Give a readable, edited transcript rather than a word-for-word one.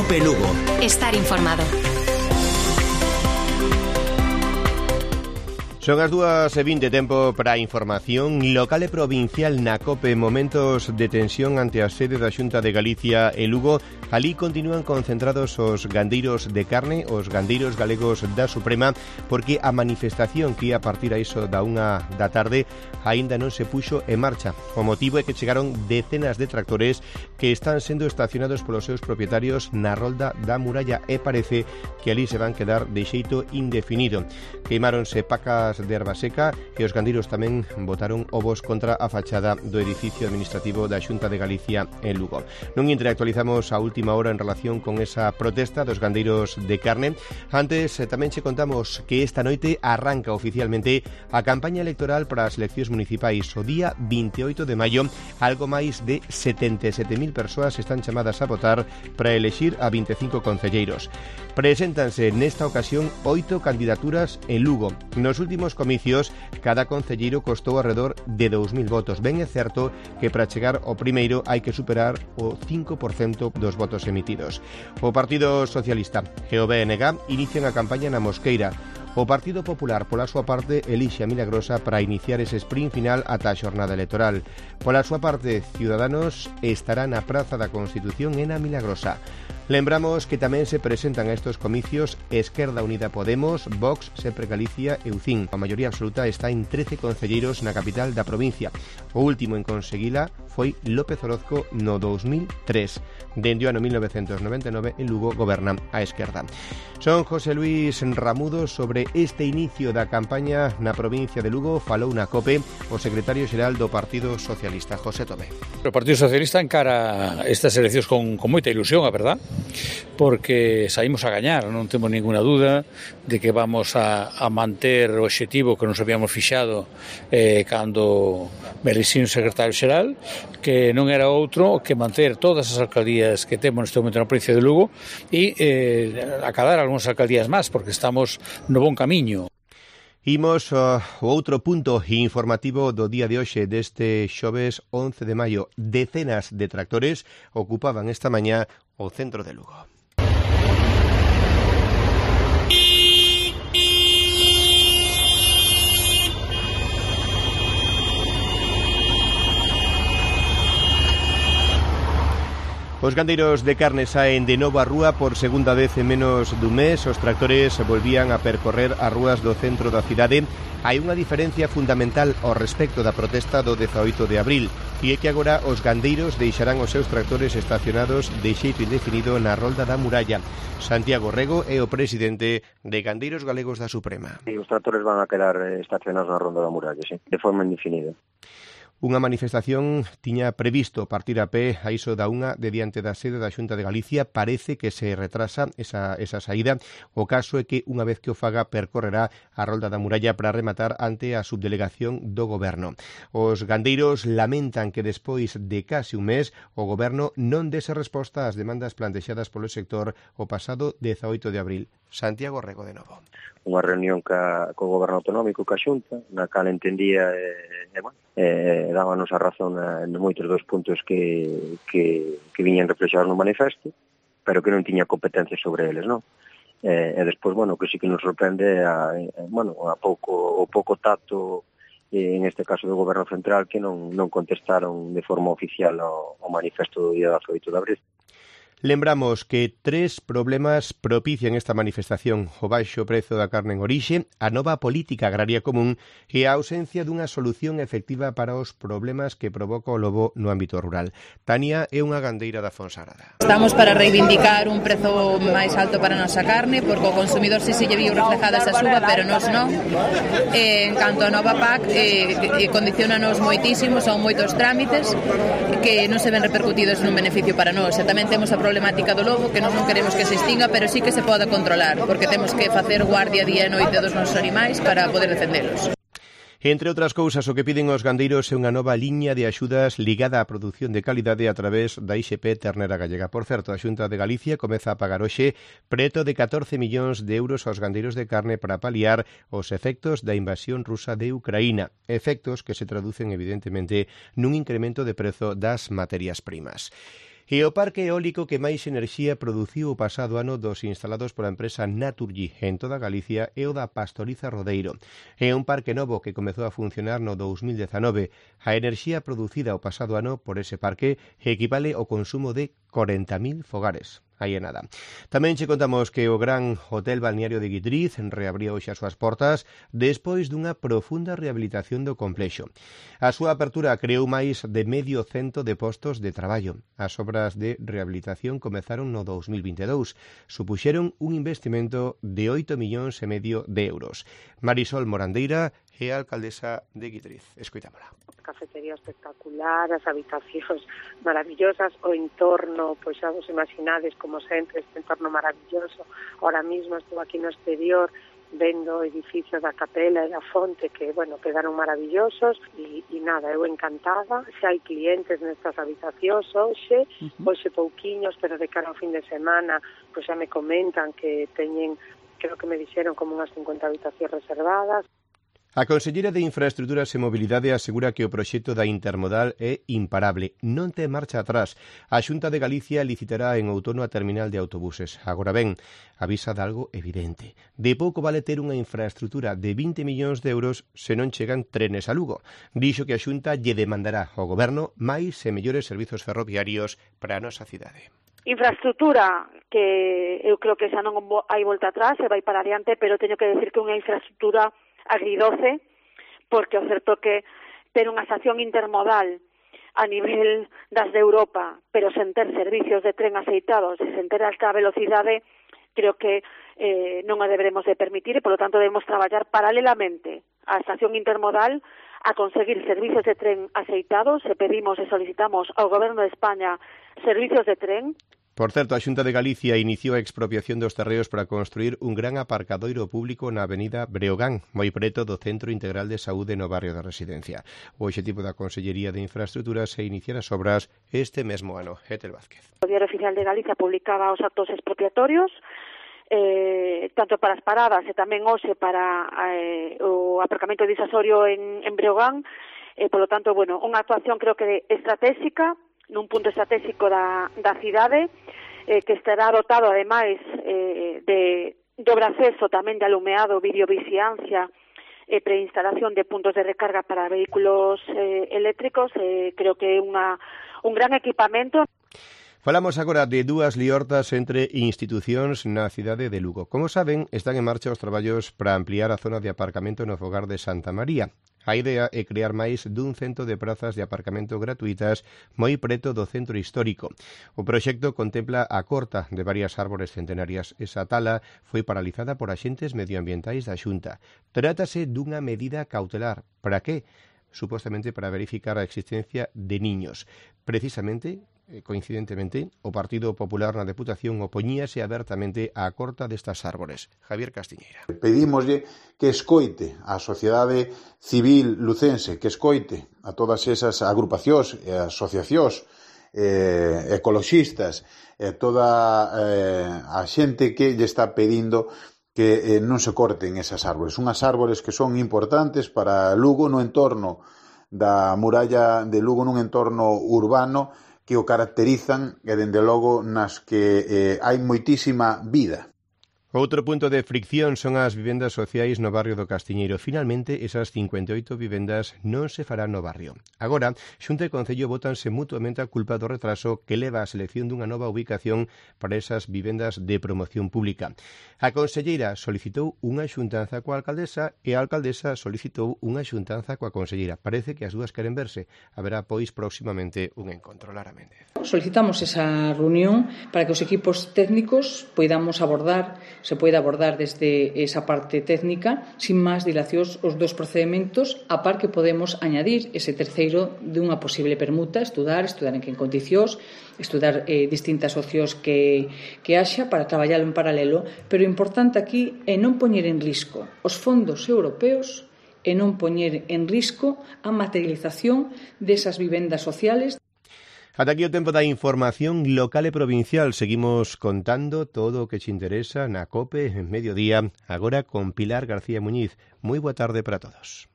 COPE Lugo. Estar informado. Son as 2:20, tempo para a información local e provincial na COPE. Momentos de tensión ante a sede da Xunta de Galicia e Lugo. Alí continúan concentrados os gandeiros de carne, os gandeiros galegos da Suprema, porque a manifestación que ia partir a iso da 1 da tarde aínda non se puxo en marcha. O motivo é que chegaron decenas de tractores que están sendo estacionados polos seus propietarios na rolda da muralla e parece que alí se van quedar de xeito indefinido. Queimáronse pacas de erva seca e os gandeiros tamén botaron ovos contra a fachada do edificio administrativo da Xunta de Galicia en Lugo. Non interactualizamos a última hora en relación con esa protesta dos gandeiros de carne. Antes tamén che contamos que esta noite arranca oficialmente a campaña electoral para as eleccións municipais. O día 28 de maio, algo máis de 77.000 persoas están chamadas a votar para elexir a 25 concelleiros. Preséntanse nesta ocasión 8 candidaturas en Lugo. Nos últimos comicios, cada concelleiro costou alrededor de 2.000 votos. Ben é certo que para chegar ao primeiro hai que superar o 5% dos votos emitidos. O Partido Socialista e o BNG inician a campaña na Mosqueira. O Partido Popular, pola súa parte, elixe a Milagrosa para iniciar ese sprint final ata a xornada electoral. Pola súa parte, Ciudadanos estará na Praza da Constitución e na Milagrosa. Lembramos que tamén se presentan a estos comicios Esquerda Unida Podemos, Vox, Sempre Galicia e UCIN. A maioría absoluta está en 13 concelleiros na capital da provincia. O último en conseguila foi López Orozco no 2003. Dende o ano 1999 en Lugo goberna a Esquerda. Son José Luis Ramudo sobre este inicio da campaña na provincia de Lugo. Falou na COPE o secretario xeral do Partido Socialista, José Tomé. O Partido Socialista encara estas eleccións con moita ilusión, a verdad, porque saímos a gañar, non temos ninguna duda de que vamos a manter o obxectivo que nos habíamos fixado cando me elixín secretario xeral, que non era outro que manter todas as alcaldías que temos neste momento na provincia de Lugo e acadar algunhas alcaldías máis, porque estamos no bon camiño. Imos o outro punto informativo do día de hoxe, deste xoves 11 de maio. Decenas de tractores ocupaban esta mañá o centro de Lugo. Os gandeiros de carne saen de novo á rúa por segunda vez en menos dun mes. Os tractores volvían a percorrer as rúas do centro da cidade. Hai unha diferencia fundamental ao respecto da protesta do 18 de abril, e é que agora os gandeiros deixarán os seus tractores estacionados de xeito indefinido na rolda da muralla. Santiago Rego é o presidente de Gandeiros Galegos da Suprema. Os tractores van a quedar estacionados na rolda da muralla, sí, de forma indefinida. Unha manifestación tiña previsto partir a pé a iso da 1 de diante da sede da Xunta de Galicia. Parece que se retrasa esa saída. O caso é que unha vez que o faga percorrerá a rolda da muralla para rematar ante a subdelegación do Goberno. Os gandeiros lamentan que despois de case un mes o Goberno non dese resposta ás demandas plantexadas polo sector o pasado 18 de abril. Santiago Rego de novo. Unha reunión co Goberno Autonómico, ca Xunta, na cal entendía dábanos a razón en moitos dos puntos que viñan reflexados no manifesto, pero que non tiña competencia sobre eles, non? E despois, que sí que nos sorprende o pouco tacto, en este caso do Goberno Central, que non contestaron de forma oficial ao manifesto do día 18 de abril. Lembramos que 3 problemas propician esta manifestación: o baixo prezo da carne en orixe, a nova política agraria común e a ausencia dunha solución efectiva para os problemas que provoca o lobo no ámbito rural. Tania é unha gandeira da Fonsagrada. Estamos para reivindicar un prezo máis alto para a nosa carne, porque o consumidor si se lle viu reflejada esa suba, pero nos non. En canto a nova PAC, condicionanos moitísimo, son moitos trámites que non se ven repercutidos nun beneficio para nós. E tamén temos a problemática do lobo, que nós non queremos que se extinga, pero sí que se poda controlar, porque temos que facer guardia día e noite dos nosos animais para poder defendelos. Entre outras cousas, o que piden os gandeiros é unha nova liña de axudas ligada á produción de calidade a través da IXP Ternera Gallega. Por certo, a Xunta de Galicia comeza a pagar hoxe preto de 14 millóns de euros aos gandeiros de carne para paliar os efectos da invasión rusa de Ucraína. Efectos que se traducen, evidentemente, nun incremento de prezo das materias primas. E o parque eólico que máis enerxía produciu o pasado ano dos instalados pola empresa Naturgy en toda Galicia é o da Pastoriza Rodeiro. É un parque novo que comezou a funcionar no 2019. A enerxía producida o pasado ano por ese parque equivale ao consumo de 40.000 fogares. Aí é nada. Tamén che contamos que o Gran Hotel Balneario de Guitriz reabría hoxe as súas portas despois dunha profunda rehabilitación do complexo. A súa apertura creou máis de 100 de postos de traballo. As obras de rehabilitación comezaron no 2022. Supuxeron un investimento de 8,5 millóns de euros. Marisol Morandeira é a alcaldesa de Guitriz. Escoitámola. Cafetería espectacular, as habitacións maravillosas, o entorno, pois xa vos imaginades como sempre este entorno maravilloso. Ahora mismo estou aquí no exterior vendo o edificio da capela e da fonte que, bueno, quedaron maravillosos e nada, eu encantada. Xa hai clientes nestas habitacións hoxe pouquiños, pero de cara ao fin de semana, pois xa me comentan que teñen, creo que me dixeron como unhas 50 habitacións reservadas. A Conselleira de Infraestruturas e Mobilidade asegura que o proxecto da Intermodal é imparable, non ten marcha atrás. A Xunta de Galicia licitará en outono a terminal de autobuses. Agora ben, avisa de algo evidente. De pouco vale ter unha infraestrutura de 20 millóns de euros se non chegan trenes a Lugo. Dixo que a Xunta lle demandará ao Goberno máis e mellores servizos ferroviarios para a nosa cidade. Infraestrutura que eu creo que xa non hai volta atrás, se vai para adiante, pero teño que decir que unha infraestrutura agridoce, porque o certo que ter unha estación intermodal a nivel das de Europa, pero sen ter servicios de tren aceitados e sen ter alta velocidade, creo que non a deberemos de permitir e, polo tanto, debemos traballar paralelamente á estación intermodal a conseguir servicios de tren aceitados e pedimos e solicitamos ao Goberno de España servicios de tren. Por certo, a Xunta de Galicia iniciou a expropiación dos terreos para construir un gran aparcadoiro público na avenida Breogán, moi preto do Centro Integral de Saúde no barrio da Residencia. O obxectivo da Consellería de Infraestruturas é iniciar as obras este mesmo ano. Etel Vázquez. O Diario Oficial de Galicia publicaba os actos expropiatorios, tanto para as paradas e tamén hoxe para o aparcamento disasorio en Breogán. Polo tanto, bueno, unha actuación creo que estratégica, nun punto estratégico da cidade, que estará dotado, ademais, de dobre acceso tamén de alumeado, videovixiancia e preinstalación de puntos de recarga para vehículos eléctricos. Creo que é un gran equipamento. Falamos agora de dúas liortas entre institucións na cidade de Lugo. Como saben, están en marcha os traballos para ampliar a zona de aparcamento no fogar de Santa María. A idea é crear máis dun 100 de prazas de aparcamento gratuitas moi preto do centro histórico. O proxecto contempla a corta de varias árbores centenarias. Esa tala foi paralizada por axentes medioambientais da Xunta. Trátase dunha medida cautelar. Para que? Supostamente para verificar a existencia de niños. Precisamente, coincidentemente, o Partido Popular na Deputación opoñíase abertamente á corta destas árbores. Javier Castiñeira. Pedímoslle que escoite a sociedade civil lucense, que escoite a todas esas agrupacións e asociacións ecoloxistas, toda a xente que lle está pedindo que non se corten esas árbores. Unhas árbores que son importantes para Lugo no entorno da muralla de Lugo, nun entorno urbano que o caracterizan e, dende logo, nas que hai moitísima vida. Outro punto de fricción son as vivendas sociais no barrio do Castiñeiro. Finalmente, esas 58 vivendas non se farán no barrio. Agora, Xunta e Concello bótanse mutuamente a culpa do retraso que leva a selección dunha nova ubicación para esas vivendas de promoción pública. A conselleira solicitou unha xuntanza coa alcaldesa e a alcaldesa solicitou unha xuntanza coa conselleira. Parece que as dúas queren verse. Haberá, pois, próximamente un encontro. Lara Méndez. Solicitamos esa reunión para que os equipos técnicos se poida abordar desde esa parte técnica sin máis dilacións os dos procedementos, a par que podemos añadir ese terceiro dunha posible permuta, estudar en que condicións, estudar distintas opcións que haxa para traballar en paralelo, pero o importante aquí é non poñer en risco os fondos europeos e non poñer en risco a materialización desas vivendas sociales. Ata aquí o tempo da información local e provincial. Seguimos contando todo o que che interesa na COPE en mediodía, agora con Pilar García Muñiz. Moi boa tarde para todos.